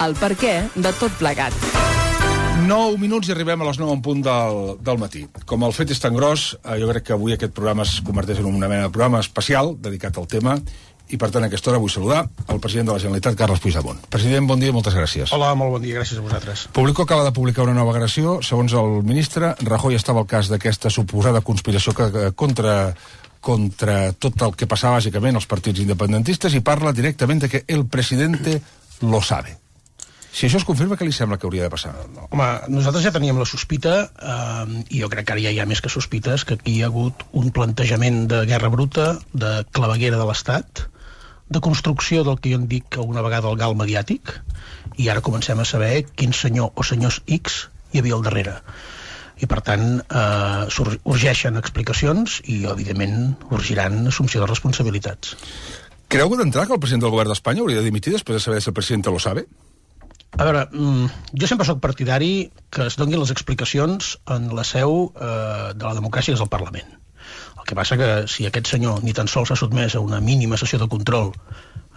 el perquè de tot plegat. 9 minuts i arribem a les 9 en punt del matí. Com el fet és tan gros, jo crec que avui aquest programa es converteix en una mena de programa especial dedicat al tema, i per tant a aquesta hora vull saludar el president de la Generalitat, Carles Puigdemont. President, bon dia i moltes gràcies. Hola, molt bon dia, gràcies a vosaltres. Público acaba de publicar una nova agressió. Segons el ministre, Rajoy estava al cas d'aquesta suposada conspiració contra tot el que passava bàsicament als partits independentistes i parla directament de que el presidente lo sabe. Si això es confirma, què li sembla que hauria de passar? Home, nosaltres ja teníem la sospita, i jo crec que ara ja hi ha més que sospites, que aquí hi ha hagut un plantejament de guerra bruta, de claveguera de l'Estat, de construcció del que jo en dic una vegada el gal mediàtic, i ara comencem a saber quin senyor o senyors X hi havia al darrere. I per tant urgeixen explicacions i evidentment urgiran assumpció de responsabilitats. Creu d'entrar que el president del govern d'Espanya hauria de dimitir després de saber si el president lo sabe? A veure, jo sempre sóc partidari que es donin les explicacions en la seu de la democràcia, que és el Parlament. El que passa que si aquest senyor ni tan sols s'ha sotmès a una mínima sessió de control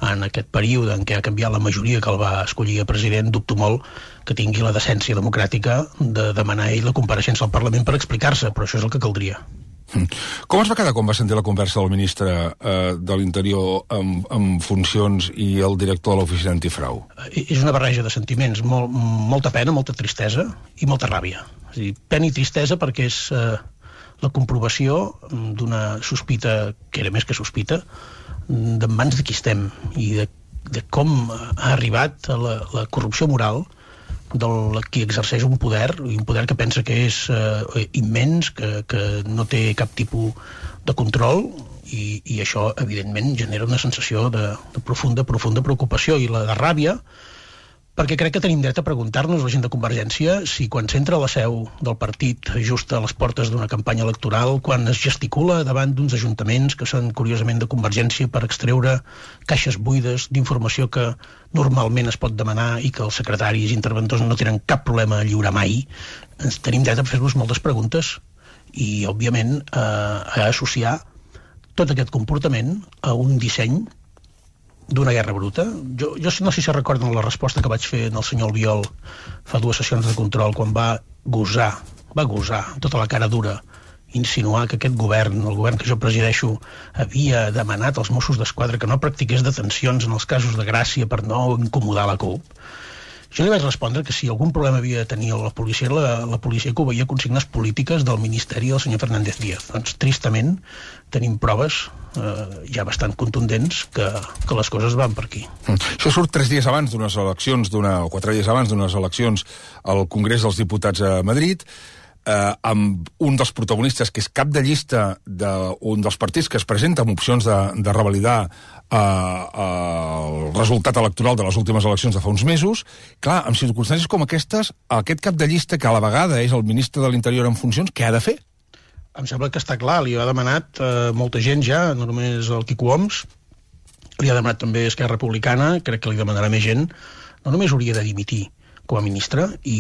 en aquest període en què ha canviat la majoria que el va escollir a president, dubto molt que tingui la decència democràtica de demanar ell la compareixença al Parlament per explicar-se, però això és el que caldria. Com es va quedar quan va sentir la conversa del ministre de l'Interior en funcions i el director de l'Oficina Antifrau? És una barreja de sentiments, molta pena, molta tristesa i molta ràbia. És a dir, pena i tristesa perquè és la comprovació d'una sospita, que era més que sospita, d'en mans de qui estem i de com ha arribat a la corrupció moral del qui exerceix un poder que pensa que és immens, que no té cap tipus de control, i això evidentment genera una sensació de profunda preocupació i la de ràbia, perquè crec que tenim dret a preguntar-nos, la gent de Convergència, si quan s'entra a la seu del partit just a les portes d'una campanya electoral, quan es gesticula davant d'uns ajuntaments que són curiosament de Convergència per extreure caixes buides d'informació que normalment es pot demanar i que els secretaris i interventors no tenen cap problema a lliurar mai, ens tenim dret a fer-nos moltes preguntes i, òbviament, a associar tot aquest comportament a un disseny d'una guerra bruta. Jo no sé si recorden la resposta que vaig fer al senyor Albiol fa 2 sessions de control quan va gosar tota la cara dura insinuar que aquest govern, el govern que jo presideixo, havia demanat als Mossos d'Esquadra que no practiqués detencions en els casos de Gràcia per no incomodar la CUP. Jo li vaig respondre que si algun problema havia de tenir la policia que obeïa consignes polítiques del Ministeri del senyor Fernández Díaz. Doncs, tristament, tenim proves ja bastant contundents que les coses van per aquí. Això surt 3 dies abans d'unes eleccions, o 4 dies abans d'unes eleccions al Congrés dels Diputats a Madrid, amb un dels protagonistes que és cap de llista d'un dels partits que es presenta amb opcions de revalidar el resultat electoral de les últimes eleccions de fa uns mesos. Clar, en circumstàncies com aquestes, aquest cap de llista, que a la vegada és el ministre de l'Interior en funcions, què ha de fer? Em sembla que està clar, li ha demanat molta gent ja, no només el Quico Homs, li ha demanat també Esquerra Republicana, crec que li demanarà més gent, no només hauria de dimitir com a ministre i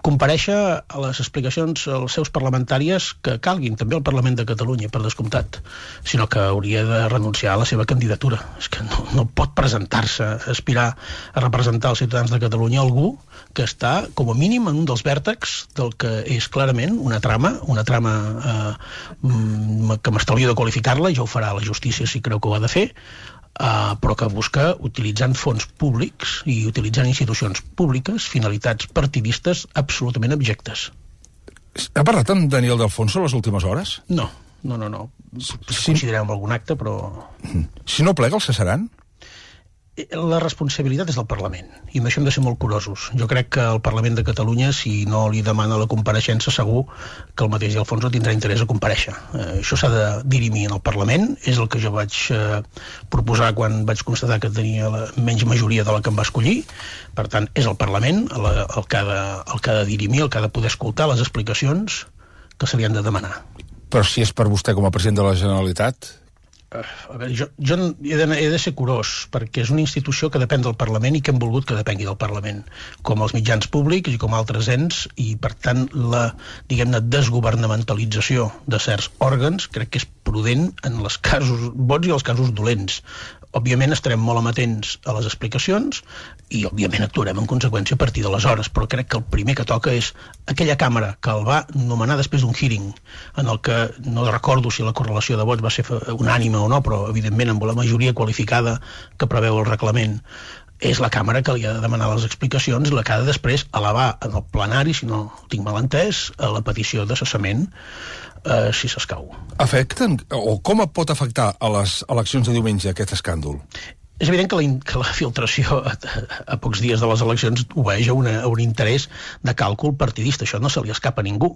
comparèixer a les explicacions als seus parlamentàries que calguin, també al Parlament de Catalunya, per descomptat, sinó que hauria de renunciar a la seva candidatura. És que no pot presentar-se, aspirar a representar els ciutadans de Catalunya algú que està, com a mínim, en un dels vèrtexs del que és clarament una trama que m'estalvio de qualificar-la, ja ho farà la justícia si creu que ho ha de fer, però que busca, utilitzant fons públics i utilitzant institucions públiques, finalitats partidistes absolutament abjectes. Ha parlat amb Daniel de Alfonso les últimes hores? No. Considerem algun acte, però... Si no plega, el cessaran? La responsabilitat és del Parlament, i amb això hem de ser molt curosos. Jo crec que el Parlament de Catalunya, si no li demana la compareixença, segur que el mateix Alfonso tindrà interès a comparèixer. Això s'ha de dirimir en el Parlament, és el que jo vaig proposar quan vaig constatar que tenia la menys majoria de la que em va escollir. Per tant, és el Parlament el que ha de dirimir, el que ha de poder escoltar les explicacions que se li han de demanar. Però si és per vostè com a president de la Generalitat... A veure, jo he de ser curós, perquè és una institució que depèn del Parlament i que hem volgut que depengui del Parlament, com els mitjans públics i com altres ens, i per tant la, diguem-ne, desgovernamentalització de certs òrgans crec que és prudent en els casos bons i els casos dolents. òbviament estarem molt amatents a les explicacions i òbviament actuarem en conseqüència a partir d'aleshores, però crec que el primer que toca és aquella càmera que el va nomenar després d'un hearing en el que no recordo si la correlació de vots va ser unànime o no, però evidentment amb la majoria qualificada que preveu el reglament, és la càmera que li ha de demanar les explicacions, la que ha de després elevar en el plenari, si no ho tinc mal entès, a la petició de cessament, si s'escau. Afecten, o com pot afectar a les eleccions de diumenge aquest escàndol? És evident que la filtració a pocs dies de les eleccions obeeix a un interès de càlcul partidista. Això no se li escapa a ningú.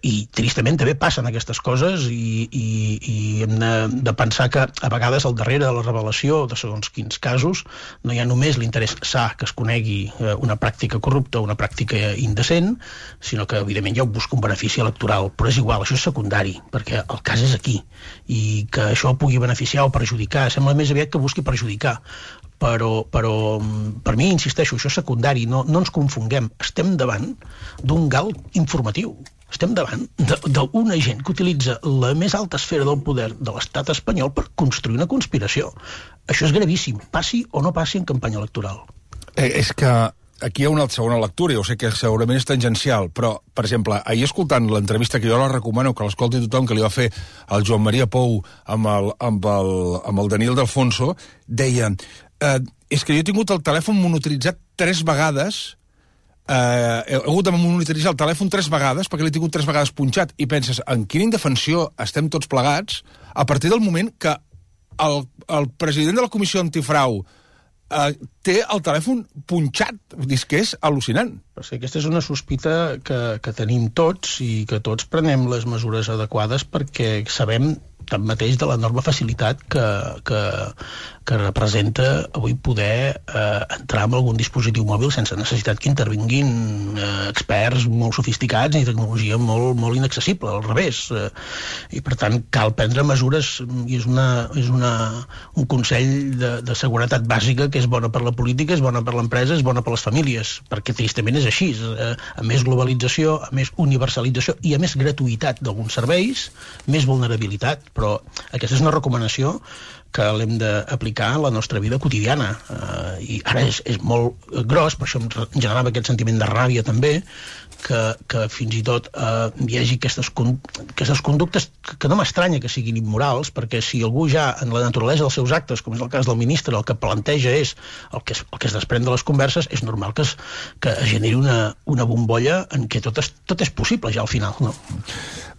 I tristament també passen aquestes coses i hem de pensar que a vegades al darrere de la revelació de segons quins casos no hi ha només l'interès sa que es conegui una pràctica corrupta o una pràctica indecent, sinó que evidentment hi ha busca un benefici electoral. Però és igual, això és secundari, perquè el cas és aquí. I que això pugui beneficiar o perjudicar, sembla més aviat que busqui perjudicar. Però per mi, insisteixo, això és secundari, no ens confonguem. Estem davant d'un gal informatiu. Estem davant d'un agent que utilitza la més alta esfera del poder de l'estat espanyol per construir una conspiració. Això és gravíssim, passi o no passi en campanya electoral. És que aquí hi ha una segona lectura, jo sé que segurament és tangencial, però, per exemple, ahir escoltant l'entrevista, que jo la recomano que l'escolti tothom, que li va fer el Joan Maria Pou amb el Daniel D'Alfonso, deia, és que jo he tingut el telèfon monitoritzat 3 vegades, he hagut de monitoritzar el telèfon 3 vegades, perquè l'he tingut 3 vegades punxat, i penses, en quina indefensió estem tots plegats, a partir del moment que el president de la Comissió Antifrau té el telèfon punxat. És que és al·lucinant. Aquesta és una sospita que tenim tots i que tots prenem les mesures adequades perquè sabem tanmateix de l'enorme facilitat que representa avui poder entrar en algun dispositiu mòbil sense necessitat que intervinguin experts molt sofisticats i tecnologia molt inaccessible, al revés. I per tant cal prendre mesures i és un consell de seguretat bàsica que és bona per la política, és bona per l'empresa, és bona per les famílies, perquè tristament és així. A més globalització, a més universalització i a més gratuïtat d'alguns serveis, més vulnerabilitat. Però aquesta és una recomanació que l'hem d'aplicar a la nostra vida quotidiana. I ara és molt gros, per això em generava aquest sentiment de ràbia també, que fins i tot hi hagi aquestes conductes que no m'estranya que siguin immorals, perquè si algú ja en la naturalesa dels seus actes, com és el cas del ministre, el que planteja és el que es desprèn de les converses, és normal que es generi una bombolla en què tot és possible ja al final, no?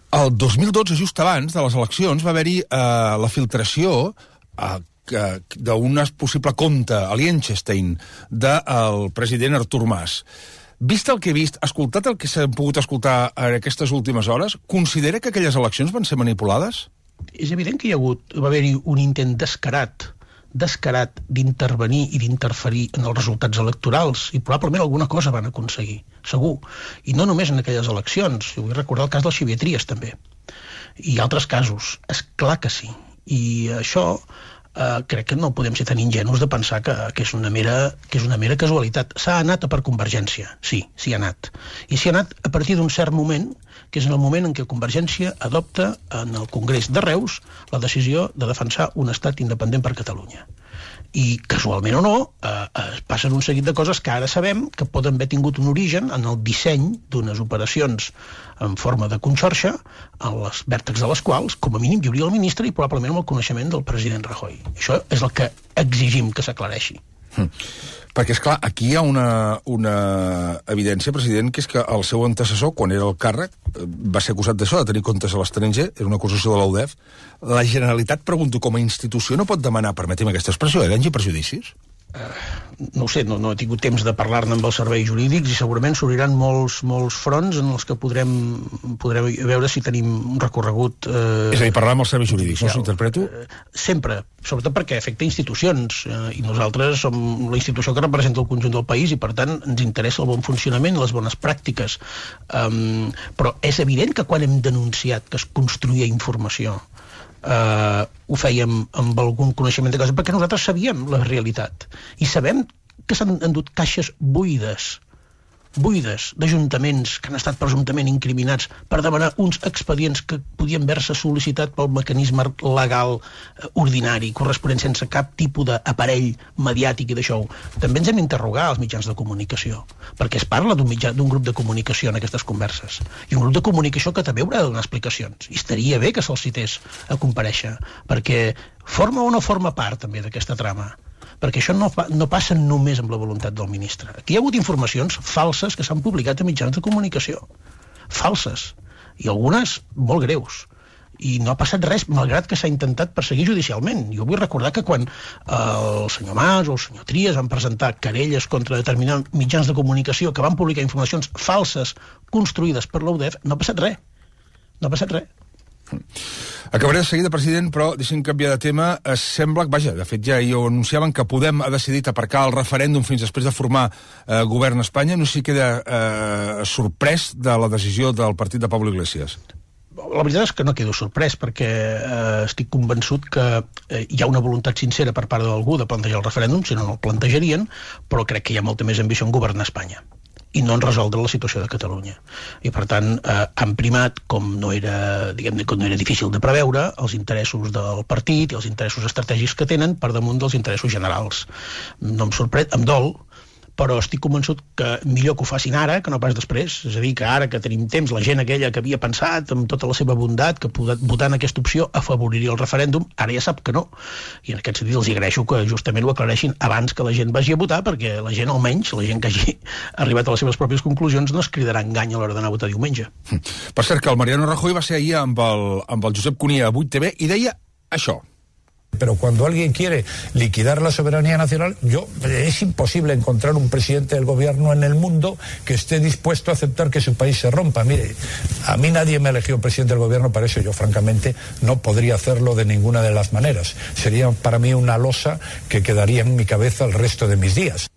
El 2012, just abans de les eleccions, va haver-hi la filtració d'un possible compte a Liechtenstein del president Artur Mas. Vist el que he vist, escoltat el que s'ha pogut escoltar en aquestes últimes hores, considera que aquelles eleccions van ser manipulades? És evident que va haver-hi un intent descarat d'intervenir i d'interferir en els resultats electorals i probablement alguna cosa van aconseguir, segur. I no només en aquelles eleccions, jo vull recordar el cas del Xavier Trias també, i altres casos, és clar que sí. I això crec que no podem ser tan ingenus de pensar que és una mera casualitat. S'ha anat per Convergència, sí, s'hi ha anat. I s'hi ha anat a partir d'un cert moment, que és en el moment en què Convergència adopta en el Congrés de Reus la decisió de defensar un estat independent per Catalunya. I, casualment o no, passen un seguit de coses que ara sabem que poden haver tingut un origen en el disseny d'unes operacions en forma de conxorxa, a les vèrtexs de les quals, com a mínim, hi hauria el ministre i probablement amb el coneixement del president Rajoy. Això és el que exigim que s'aclareixi. Perquè, esclar, aquí hi ha una evidència, president, que és que el seu antecessor, quan era al càrrec, va ser acusat d'això, de tenir comptes a l'estranger, era una acusació de l'UDEF. La Generalitat, pregunto, com a institució no pot demanar, permeti'm aquesta expressió, danys i perjudicis? No ho sé, no he tingut temps de parlar-ne amb els serveis jurídics i segurament s'obriran molts fronts en els que podrem veure si tenim un recorregut... És a dir, parlar amb els serveis jurídics, no s'interpreto? Sempre, sobretot perquè afecta institucions i nosaltres som la institució que representa el conjunt del país i per tant ens interessa el bon funcionament i les bones pràctiques. Però és evident que quan hem denunciat que es construïa informació ho fèiem amb algun coneixement de cosa, perquè nosaltres sabíem la realitat i sabem que s'han endut caixes buides buides d'ajuntaments que han estat presumptament incriminats per demanar uns expedients que podien haver-se sol·licitat pel mecanisme legal ordinari, corresponent sense cap tipus d'aparell mediàtic i d'això. També ens hem d'interrogar als mitjans de comunicació, perquè es parla d'un grup de comunicació en aquestes converses, i un grup de comunicació que també haurà de donar explicacions, i estaria bé que se'ls cités a comparèixer, perquè forma o no forma part també d'aquesta trama, perquè això no passa només amb la voluntat del ministre. Aquí hi ha hagut informacions falses que s'han publicat a mitjans de comunicació. Falses. I algunes molt greus. I no ha passat res, malgrat que s'ha intentat perseguir judicialment. Jo vull recordar que quan el senyor Mas o el senyor Trias van presentar querelles contra determinats mitjans de comunicació que van publicar informacions falses construïdes per la UDEF, no ha passat res. No ha passat res. Acabaré de seguida, president, però deixem canviar de tema. Sembla que, vaja, de fet ja ho anunciaven, que Podem ha decidit aparcar el referèndum fins després de formar govern a Espanya. No sé si queda sorprès de la decisió del partit de Pablo Iglesias. La veritat és que no quedo sorprès, perquè estic convençut que hi ha una voluntat sincera per part d'algú de plantejar el referèndum, si no, no el plantejarien, però crec que hi ha molta més ambició en governar Espanya i no en resoldre la situació de Catalunya. I, per tant, han primat, com no era difícil de preveure, els interessos del partit i els interessos estratègics que tenen per damunt dels interessos generals. No em sorprèn, em dol, però estic convençut que millor que ho facin ara que no pas després. És a dir, que ara que tenim temps, la gent aquella que havia pensat amb tota la seva bondat que votant aquesta opció afavoriria el referèndum, ara ja sap que no. I en aquest sentit els agraeixo que justament ho aclareixin abans que la gent vagi a votar, perquè la gent, almenys, la gent que hagi arribat a les seves pròpies conclusions, no es cridarà engany a l'hora d'anar a votar diumenge. Per cert, que el Mariano Rajoy va ser ahir amb el Josep Cuní a 8TV i deia això. Pero cuando alguien quiere liquidar la soberanía nacional, es imposible encontrar un presidente del gobierno en el mundo que esté dispuesto a aceptar que su país se rompa. Mire, a mí nadie me eligió presidente del gobierno para eso. Yo, francamente, no podría hacerlo de ninguna de las maneras. Sería para mí una losa que quedaría en mi cabeza el resto de mis días.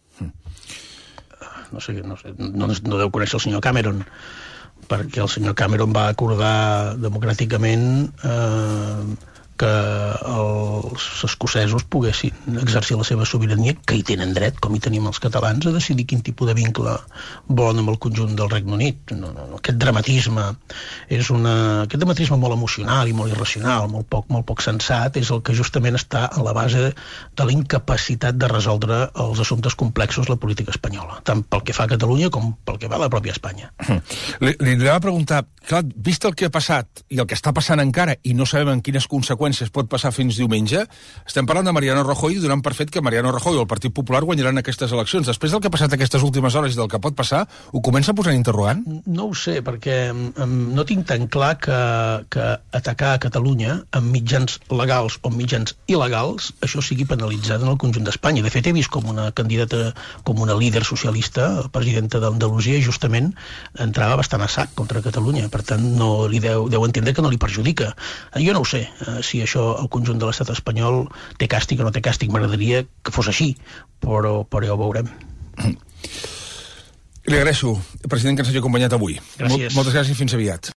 No deu conèixer el senyor Cameron, perquè el senyor Cameron va acordar democràticament que els escocesos poguessin exercir la seva sobirania, que hi tenen dret, com hi tenim els catalans, a decidir quin tipus de vincle volen amb el conjunt del Regne Unit. Aquest dramatisme molt emocional i molt irracional, molt poc sensat, és el que justament està a la base de la incapacitat de resoldre els assumptes complexos la política espanyola, tant pel que fa a Catalunya com pel que va a la pròpia Espanya. Li va preguntar, clar, vist el que ha passat i el que està passant encara, i no sabem en quines conseqüències pot passar fins diumenge, estem parlant de Mariano Rajoy i donant per fet que Mariano Rajoy o el Partit Popular guanyaran aquestes eleccions. Després del que ha passat aquestes últimes hores i del que pot passar, ho comença a posar interrogant? No ho sé, perquè no tinc tan clar que atacar a Catalunya amb mitjans legals o mitjans il·legals, això sigui penalitzat en el conjunt d'Espanya. De fet, he vist com una candidata, com una líder socialista, presidenta d'Andalusia, justament entrava bastant a sac contra Catalunya. Per tant, no li deu entendre que no li perjudica. Jo no ho sé, si això el conjunt de l'estat espanyol té càstig o no té càstig. M'agradaria que fos així, però ja ho veurem. Li agraeixo, president, que ens hagi acompanyat avui. Gràcies. Moltes gràcies i fins aviat.